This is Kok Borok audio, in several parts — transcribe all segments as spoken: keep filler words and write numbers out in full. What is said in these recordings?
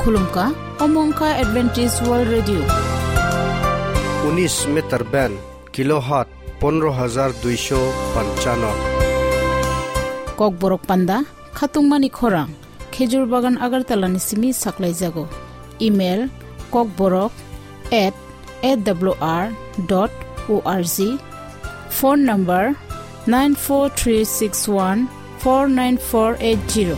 Khulumkha, omo wngkha Adventist World Radio. Unis meter band, kilohertz pondro hajar duisho panchano. Kokborok panda, khatungmani khorang, Khejur Bagan Agartala ni simi saklaijago. Email, kokborok at A W R dot O R G. Phone number, nine four three six one four nine four eight zero.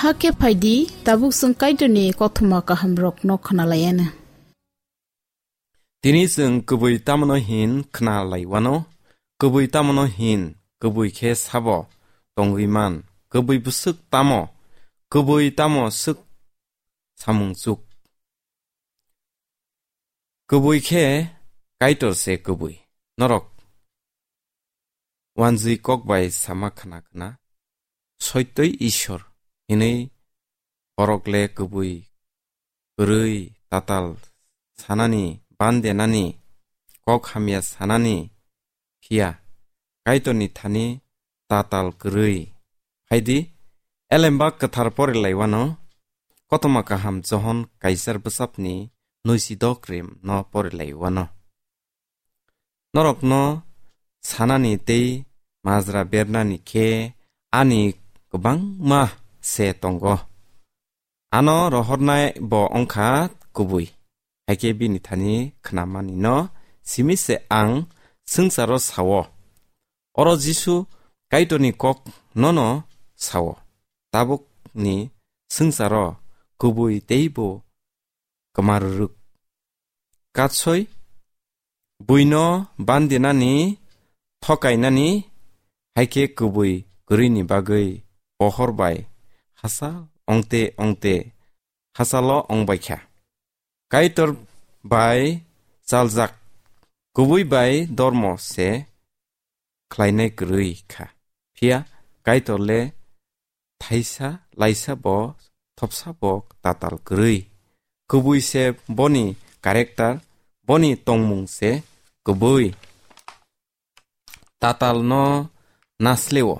Hakhe phaidi, tabuk chwng Kaitorni kothoma kahamrokno khwnalaiana. Tini chwng kubui tamno hin khwnalaiwano, kubui tamno hin, kubui khe sabo tongwi man, kubui bwswk tamo, kubui tamo swk samung chuk. Kubui khe Kaitor se kubui. Norok wanjwi kok bai sama khna khna, soitoi Ishwar hinwi borok le kubui kwrwi tatal sanani, bandenani, kok hamya sanani, phiya Kaitorni thani tatal kwrwi. Phaidi, Elembak Kwthar porilaiwano, Kothoma Kaham Johon Kaichar bwsapni nuisi dok rim no porilaiwano. Norokno sanani tei majra bernani khe ani kwbangma se tongo. Ano rohornai bo wngkha kubui. Haikhe bini thani khnamani no simi se ang swngcharo sao. Oro Jisu Kaitorni kok nono sao. Tabukni swngcharo kubui teibo kwmarwrwk. Katsoi buino bandinani, thokainani, haikhe kubui kwrwini bagwi pohor bai hachal ongte ongte hachalo ongbaikha. Kaitor bai chaljak kubui bai dormo se khlainai kwrwi kha. Phiya Kaitor le thaisa laisa bo thopsa bo tatal kwrwi. Kubui se boni character, boni tongmung se kubui. Tatal no nasleo.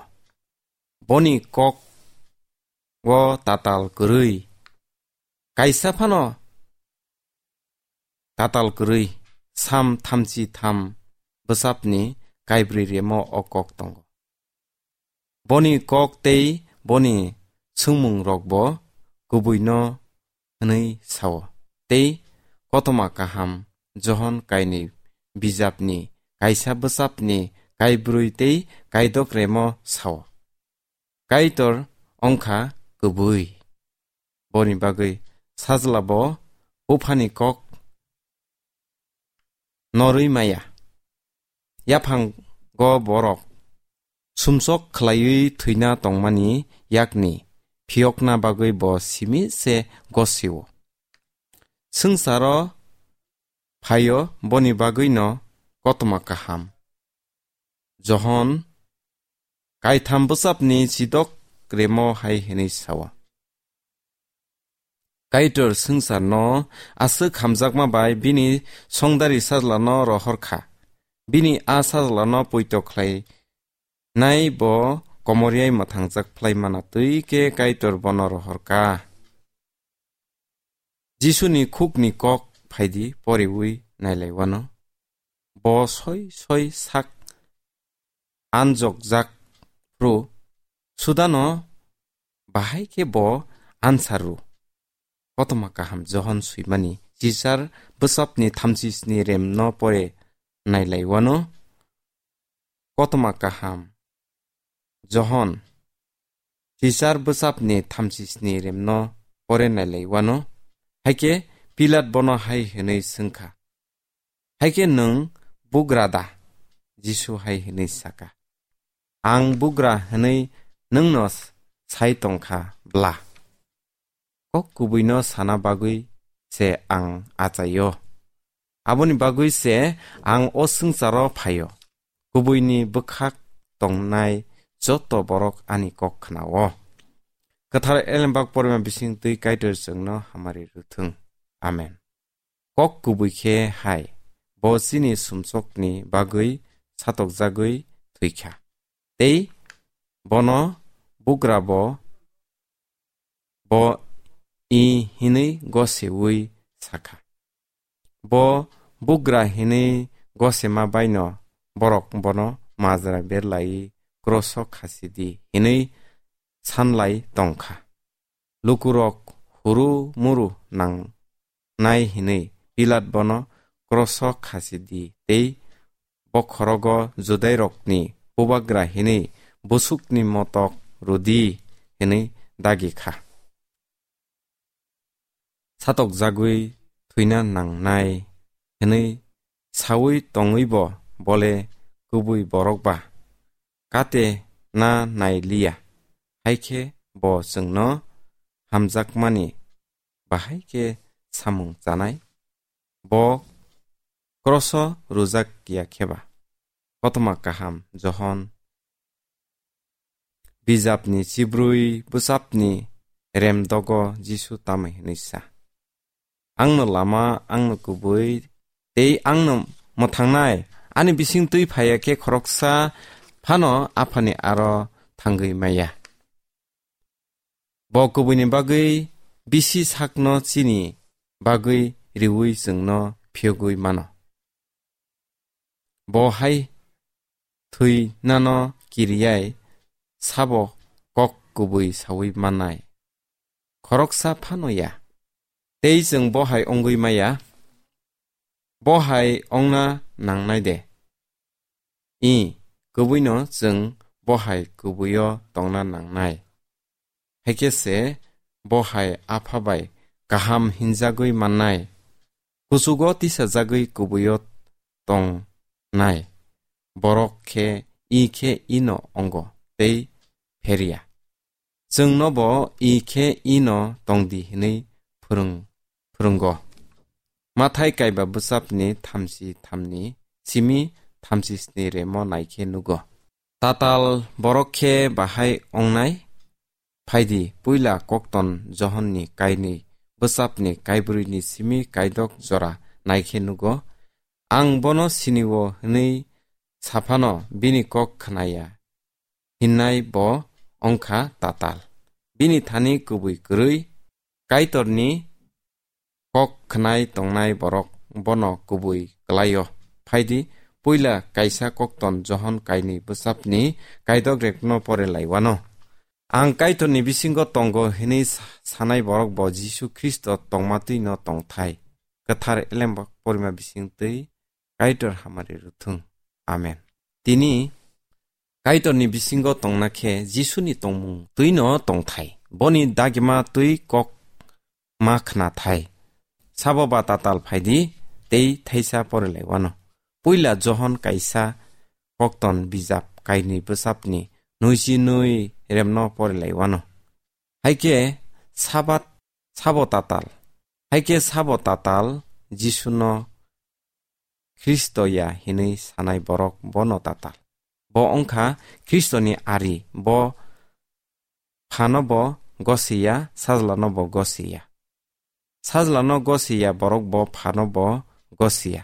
Boni kok o tatal kwrwi. Kaisa phano tatal kwrwi, Sam thamchi tham bwsapni kaibrwi remo o kok tongo. Boni kok tei boni swngmung rokbo kubuino hwnwi sao. Tei Kothoma Kaham Johon kainwi bijapni kaisa bwsapni kaibrwi tei kaidok remo sao. Kaitor ongkha kubui. Boni bagwi sajla bo buphani kok norwi maya. Yaphango borok sumsok khlaiwi thwina tongmani yakni phiyokna bagwi bo simi se gosio. Swngcharo phaio boni bagwino Kothoma Kaham Johon kaitham bwsapni chidok remo hai hwnwi sao. Kaitor swngcharno aswk hamjakma bai bini songdari sajlano rohor kha. Bini a sajlano poito khlai nai bo komoriai mwthangjak phlai mana twi khe Kaitor bono rohor kha. Jisuni khukni kok phaidi poriwi nailai wano. Bo soi soi sak anjokjak phru sudano bahai khe bo answer ru. Kothoma Kaham Johon swimani chichar bwsapni thamchi sni remno pore nailai wano. Kothoma Kaham Johon chichar bwsapni thamchi sni remno pore nailai wano. Haikhe Pilat bono hai hwnwi swngkha, "Haikhe nwng bugra da?" Jisu hai hwnwi saka, "Ang bugra hwnwi nwngno sai tongkha bla? Kok kubuino sana bagwi se ang achaio. Aboni bagwi se ang o swngcharo phaio. Kubuini bwkhak tongnai joto borok ani kok khnao." Kwthar Elembak porima bising twi Kaitor chwngno hamari rwthwng. Amen. Kok kubui khe hai, bo chini sumsokni bagwi satokjagwi thwikha. Tei bono bugra bo, bo i hinwi goseui sakha. Bo bugra hinwi gosema baino borok bono majra berlai kroso khasi di hinwi sanlai tongkha. Lukurok huru muru nangnai hinwi Pilat bono kroso khasi di tei bokhorogo Judairokni bubagra hinwi busukni motok rwdi hinwi dagi kha. Satokjagwi thwina nangnai hinwi saui tongwibo bole kubui borok ba? Kate na nai liya, hai khe bo chwngno hamjakmani bahai khe samung chanai? Bo kroso rwjak ya khe ba? Kothoma Kaham Johon bijapni chibrwi bwsapni remdogo Jisu tamo hwnwi sa, "Angno lama, angno kubui, tei angno mwthangnai. Ani bising twi phaiya khe khoroksa phano Aphani aro thangwi maya." Bo kubuini bagwi bisi sakno chini bagwi riui chwngno phiyogwi mano. Bo hai thwinano kiriyai sabo kok kubui saui mannai? Khoroksa phano ya. Tei chwng bo hai wngwi maya? Bo hai wngna nangnai de? I, kubuino chwng bo hai kubuio tongna nangnai. Haikhe se bo hai Apha bai kaham hinjagwi mannai. Kuchugo tisajagwi kubuio tongnai borok khe i khe ino ongo tei pheria. chwngnobo i khe ino tongdi hwnwi phwrwng-, phwrwngo. Mathai kaiba bwsapni thamchi thamni simi thamchi sni remo naikhe nugo. Tatal borok khe bahai ongnai? Phaidi, puila kokton Johonni kainwi bwsapni kaibrwini simi kaidok jora naikhe nugo. Ang bono sinio hwnwi saphano bini kok khnaya hinnai bo ongkha tatal. Bini thani kubui kwrwi Kaitorni kok khnai tongnai borok bono kubui kwlaio. Phaidi, puila kaisa kokton Johon kainwi bwsapni kaidok rekno pore laiwano. Ang Kaitorni bisingo tongo hwnwi sa-, sanai borok bo Jisu Khristo tongmatwino tongthai. Kwthar elembak porima bisingtwi Kaitor hamari rwthwng. Amen. Tini Kaitorni bisingo tongna khe Jisuni tongmung twino tongthai. Boni dagima twi kok ma khnathai. Sabo ba tatal phaidi tei thaisa pore laiwano. Puila Johon kaisa kokton bijap kainwi bwsapni nuisi nui remno pore laiwano. Haikhe Sabat sabo tatal. Haikhe sabo tatal Jisuno Khristo ya hinwi sanai borok bono tatal. Bo wngkha Khristoni ari, bo phano bo gosiya, sajlano bo gosiya. Sajlano gosiya borok bo phano bo gosiya.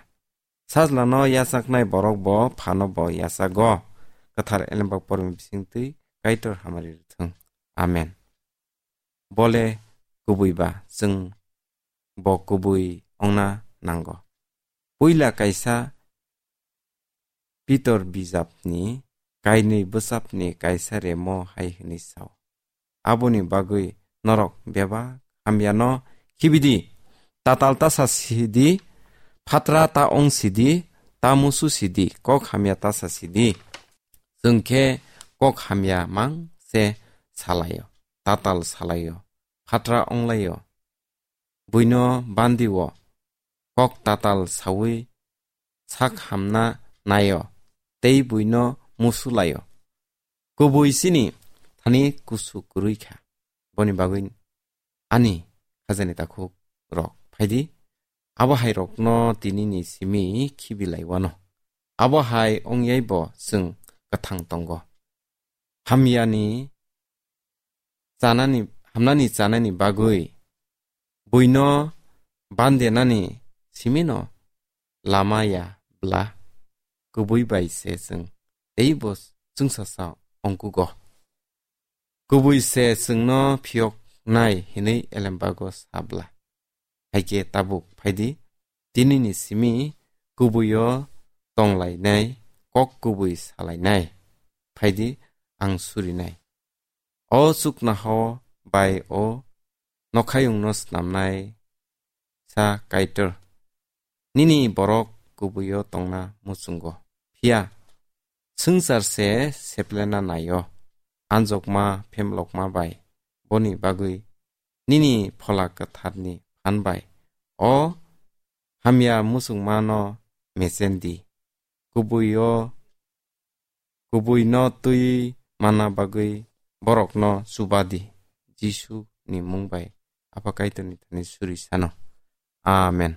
Sajlano yachaknai borok bo phano bo yachago. Kwthar elembak pormi bisingtwi Kaitor hamari rwthwng. Amen. Bole kubui ba, chwng bo kubui ongna nango. Puila kaisa Pitor bijapni kainwi bwsapni kaisa remo hai hwnwi sao, "Aboni bagwi norok bebak hamyano khibidi, tatal ta sa sidi, phatra ta ong sidi, ta musu sidi, kok hamya ta sa sidi." Chwng khe kok hamya mang se salaio, tatal salaio, phatra onglaio. Buino bandio, kok tatal saui sak hamna naio, tei buino musu laio. Kubui chini thani kusu kwrwi kha. Boni bagwi ani khajani takhuk rok phaidi, abo hai rokno tinini simi khibi laiwano. Abo hai ongyai bo chwng kwthang tongo. Hamyani chanani, hamnani chanani bagwi buino bandenani simino lama ya bla, kubui bai se chwng teibo chwngsasa ongkugo. Kubui se chwngno phiyoknai hinwi elembago sa bla. Haikhe tabuk phaidi, tinini simi kubuio tonglainai, kok kubui salainai. Phaidi, ang surinai. O chuknoha bai o nokhayungno snamnai sa Kaitor. Nini borok kubuio tongna muchungo. Phiya swngchar se seplena naio, anjokma phemlokma bai. Boni bagwi nini Phola Kwtharni phan bai o hamya muchungmano mechen di. Kubuio, kubuino twi manna bagwi borokno chuba di. Jisu ni mung bai Apha Kaitorni thani suri sano. Amen.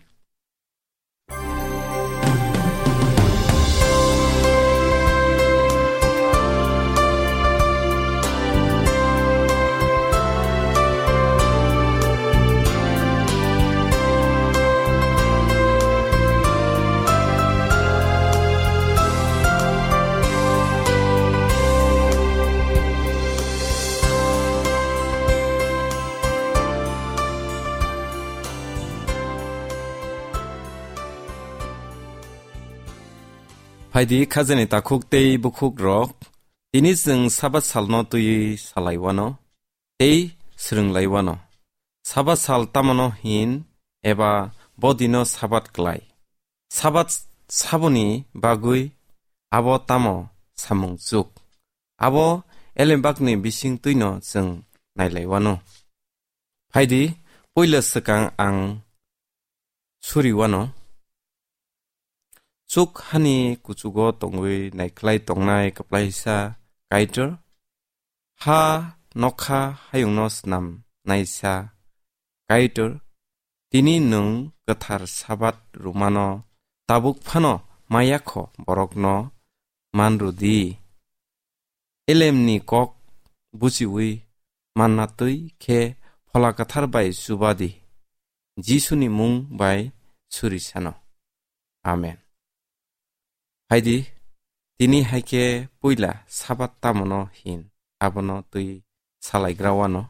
Phaidi khajani takhuk tei bukhuk rok, tini chwng Sabat salno twiwi salaiwano tei swrwnglaiwano. Sabat sal tamano hin eba bo dino Sabat klai? Sabat saboni bagwi abo tamo samung chuk? Abo elembakni bising twino chwng nailaiwano. Phaidi, puila swkang ang suriwano. Chuk hani kuchugo tongwi naikhlai tongnai kwplaisa Kaitor, ha nokha hayungno snam naisa Kaitor, tini nwng kwthar Sabat rwmano tabuk phano mayakho borokno man rwdi. Elemni kok buchiwi manna twi khe Phola Kwthar bai chuba di. Jisuni mung bai suri sano. Amen. Phaidi, tini hai khe puila Sabat tamono hin, abono twi salaigra wano.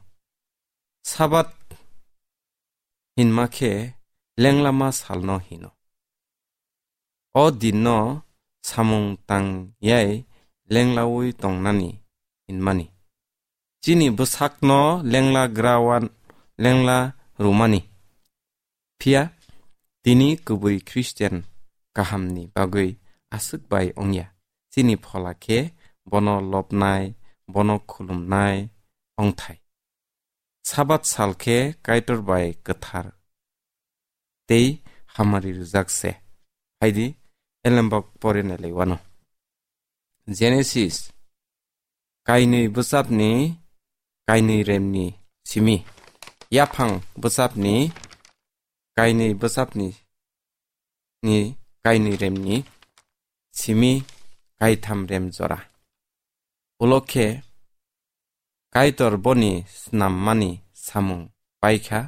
Sabat hinma khe lenglama salno hino. O dinno samung tang yai lenglawi tongnani hinmani. Chini bwsakno lengla grawan, lengla rwmani. Phiya tini kubui Christian kahamni bagwi aswk bai wngya. Chini phola khe bono lobnai, bono khulumnai wngthai. Sabat sal khe Kaitor bai kwthar tei hamari rwjak se. Phaidi, elembak pore nailai wano. Genesis, kainwi bwchapni kainwi remni simi. Yaphang bwchapni kainwi bwchapni ni kainwi remni simi kaitham rem jora. Ulo khe Kaitor boni snammani samung paikha,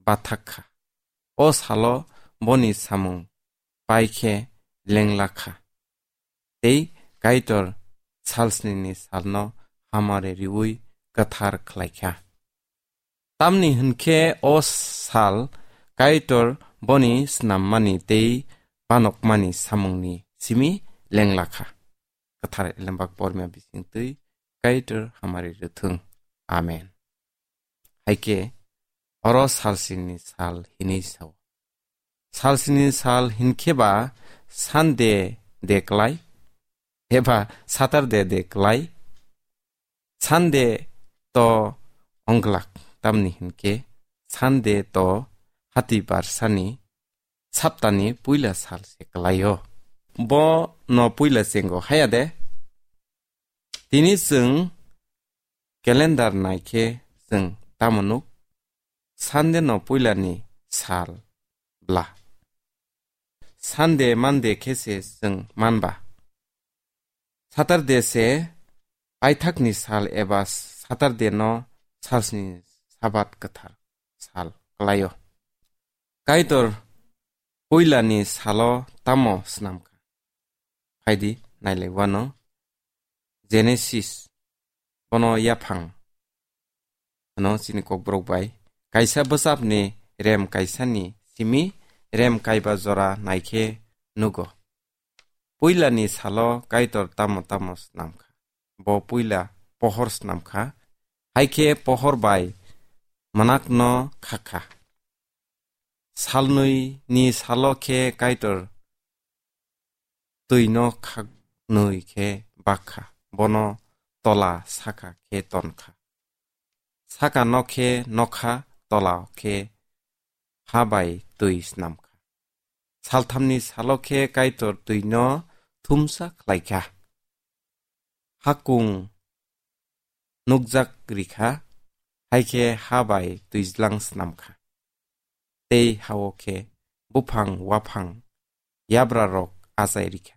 bathak kha. O salo boni samung pai khe lengla kha. Tei Kaitor salsnini salno hamari riwi kwthar khlai kha. Tamni hwn khe o sal Kaitor boni snammani tei banokmani samungni simi lengla kha. Kwthar elembak porma bising twi Kaitor hamari rwthwng. Amen. Hai khe oro salsnini sal hinwi sao. Salsnini sal hinkhe ba Sunday de klai eba Saturday de klai. Sunday to ongglak, tamni hinkhe Sunday to hati barsani saptani puila sal se klaio. Bo no puila chengo haya de. Tini chwng calendar naikhe chwng tamo nuk? Sunday no puilani sal bla. Sunday, Monday khe se chwng manba. Saturday se paithakni sal eba Saturday no salsni Sabat kwthar sal klaio. Kaitor puilani salo tamo snamkha? Phaidi nailai wano. Genesis, bono yaphang hwno chini kokborok bai. Kaisa bwchapni rem kaisani simi rem kaiba jora naikhe nugo. Puilani salo Kaitor tamo tamo snamkha? Bo puila pohor snamkha, hai khe pohor bai mwnakno khakha. Salnwi ni salo khe Kaitor twino khaknwi khe bakha, bono tola saka khe tonkha. Saka no khe nokha, tola khe ha bai twi snamkha. Salthamni salo khe Kaitor twino thumsa khlaikha. Hakung nukjak rikha, hai khe ha bai twijlang snamkha. Tei hao khe buphang waphang yabrarok achai rikha.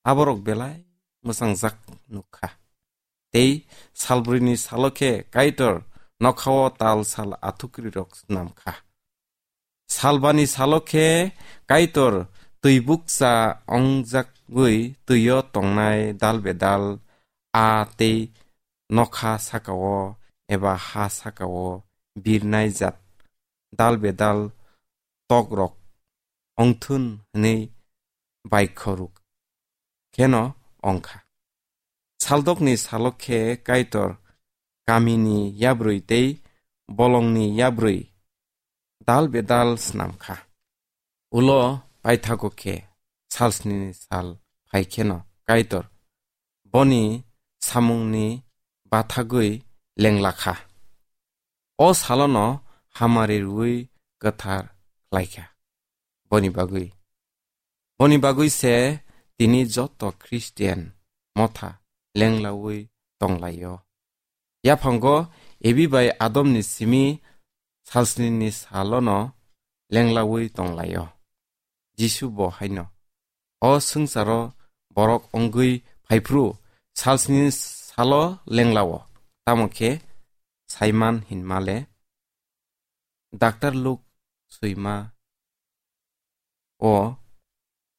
Aborok belai mwchangjak nukha. Tei salbrwini salo khe Kaitor nokhao tal sal athukrirok snamkha. Salbani salo khe Kaitor twi bukcha ongjagwi twio tongnai dal bedal a tei nokha sakao eba ha sakao birnai jat dal bedal tokrok ongthun hwnwi baikhoruk kheno ongkha. Saldokni salo khe Kaitor kamini yabrwi tei bolongni yabrwi dal bedal snamkha. Ulo paithago khe salsnini sal phai kheno Kaitor boni samungni bathagwi lenglakha. O salono hamari rwui kwthar khlaikha. Boni bagwi, boni bagwi se tini joto Christian motha lenglaui tonglaio. Yaphango Ebi bai Adomni simi salsnini salono lenglaui tonglaio. Jisu bo haino, "O swngcharo borok wngwi phaiphru salsnini salo lenglao, tamo khe saiman hinmale." Daktar Luk swima o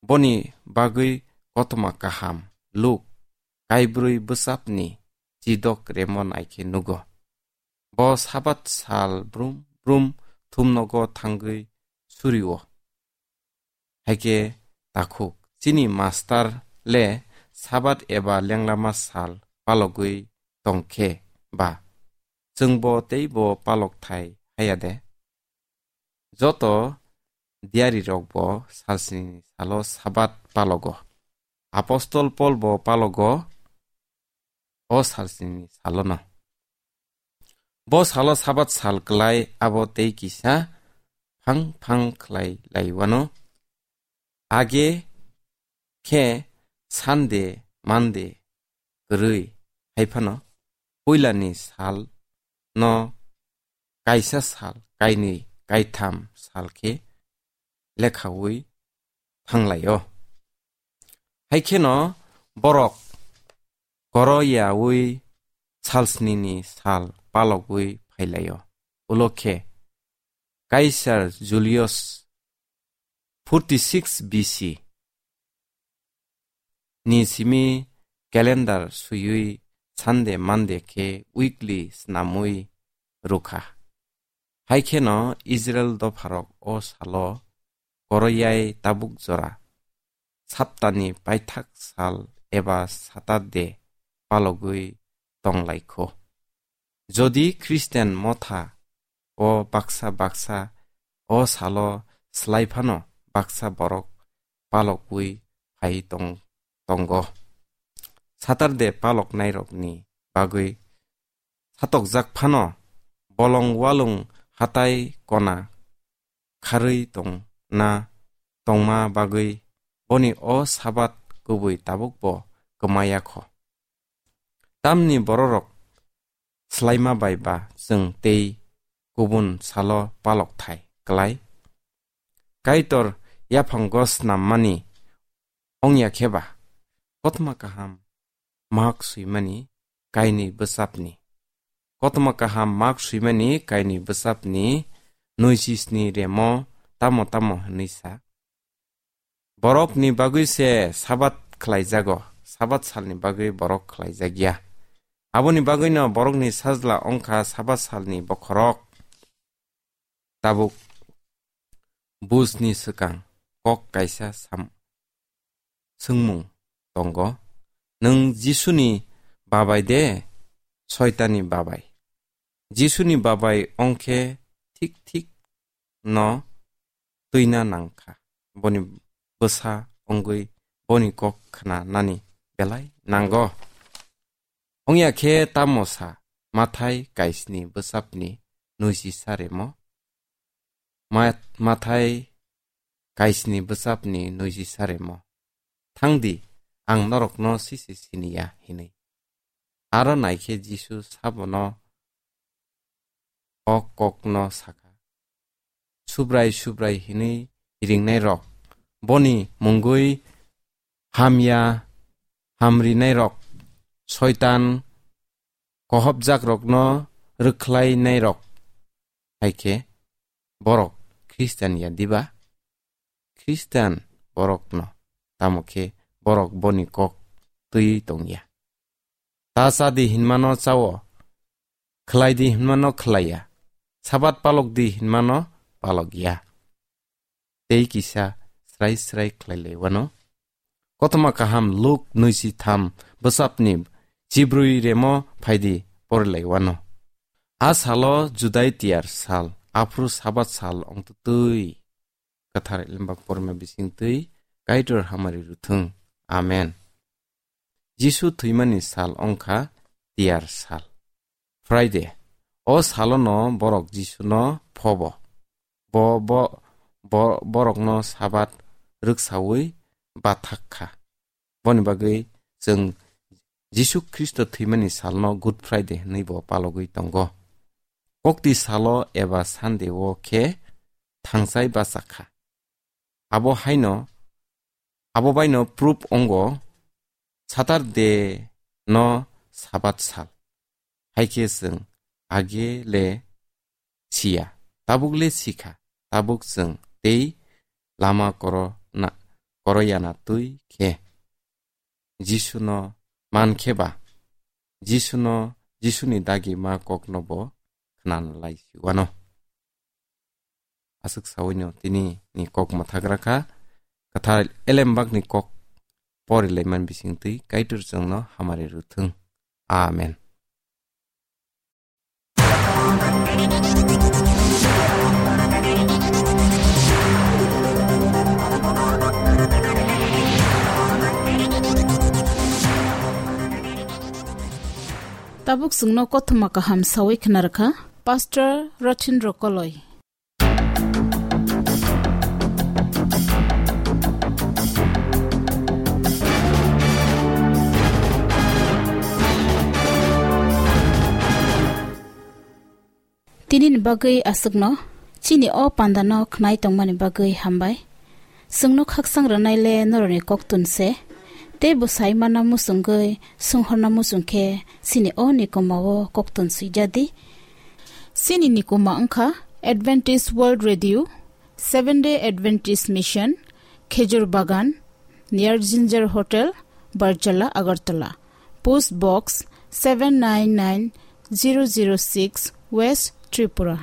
boni bagwi kothoma kaham Luk kaibrwi bwsapni chidok remo naikhe nugo. Bo Sabat sal brum brum thumnogo thangwi surio. Haikhe takhuk, chini mastar le Sabat eba lenglama sal palogwi tongkhe ba, chwngbo teibo palok thai haya de? Joto diarirokbo salsnini salo Sabat palogo. Apostol Polbo palogo o salsnini salono. Bo salo Sabat sal klai abo tei kisa phang phang khlai laiwano. Age khe Sunday, Monday kwrwi, haiphano puilani sal no kaisa sal, kainwi, kaitham sal khe lekhaui thanglaio. Haikheno borok koroyaui salsnini sal palogwi phailaio. Ulo khe Kaisar Julius forty six B C ni simi calendar swiwi Sunday, Monday khe weekly snamwi rwkha. Haikheno Israel dopharok o salo koroyai tabuk jora, saptani paithak sal eba Saturday palogwi tonglaikho. Jodi Christian motha o baksa baksa o salo slai phano baksa borok palokwi phai tong-, tongo. Saturday paloknairokni bagwi satokjak phano bolong walung hatai kona kharwi tongna tongma bagwi boni o Sabat kubui tabukbo kwmaya kho. Tamni bororok slaima bai ba chwng tei kubun salo palok thai klai. Kaitor yaphango snammani ongya khe ba, kothoma kaham mak swimani kainwi bwsapni. Kothoma kaham mak swimani kainwi bwsapni nui chisni remo tamo tamo hwnwi sa. Borokni bagwi se Sabat khlaijago, Sabat salni bagwi borok khlaijak ya. Aboni bagwino borokni sajla ongkha Sabat salni bokhorok. Tabuk bujni swkang kok kaisa sam-, swngmung tongo, "Nwng Jisuni babai de, Soitani babai?" Jisuni babai ongkhe thik thik no twina nangkha. Boni bwsa wngwi boni kok khna nani belai nango. Wngya khe tamo sa, Mathai kaisni bwsapni nuisi saremo? Ma-, Mathai kaisni bwsapni nuisi saremo? "Thangdi, ang norokno sisi siniya," hinwi. Aro naikhe Jisu sabono o kokno sakha. Subrai subrai hinwi ringnairok, boni mungwi hamya hamrinairok, soitan kohopjakrokno rwkhlainairok, hai khe borok Khristian ya diba? Khristian borokno, tamo khe borok boni kok twi tongya. Ta cha di hinmano chao, khlai di hinmano khlaiya, Sabat palok di hinmano palok ya. Tei kisa srai srai khlai lai wano. Kothoma kaham Luk nuisi tham bwsapni chibrwi remo phaidi pori lai wano. A salo Judai tiyar sal, aphuru Sabat sal ongtutwi. Kwthar Limbak porma bisingtwi Kaitor hamari ruthung. Amen. Jisu thwimani sal ongkha tiyar sal, Friday. O salono borok Jisuno phobo. Bo, bo, bo, borokno Sabat rwksaui bathak kha. Boni bagwi chwng Jisu Khristo thwimani salno Good Friday hwnwi bo palogwi tongo. Kokti salo eba Sunday o khe thangchai bachakha. Abo haino, abo baino proof ongo Saturday no Sabat sal. Hai khe chwng age le siya, tabuk le sikha, tabuk chwng tei lama koro na, koro yana twi khe Jisuno man khe ba, Jisuno, Jisuni dagi ma kokno bo khna lai si wano. Aswk sawino tini ni kok mwthagra kha, kwthar elembak ni kok pori laiman bising twi Kaitor chwngno hamari rwthwng. Amen. Tabuk chwngno kothoma kaham sawi khna rwkha Pastor Rothin Rokoloi. Tini ni bagwi aswkno, chini o panda no khnai tongmani bagwi hambai. Chwngno khaksang rwnai le norokni koktun se, tei bwsai mana muchungwi swnghorna muchung khe chini o nikoma o koktun swijadi. Chini nikoma wngkha Adventist World Radio, Seventh Day Adventist Mission, Khejur Bagan, near Ginger Hotel, Barjala, Agartala. Post Box seven nine nine zero zero six, West Tripura.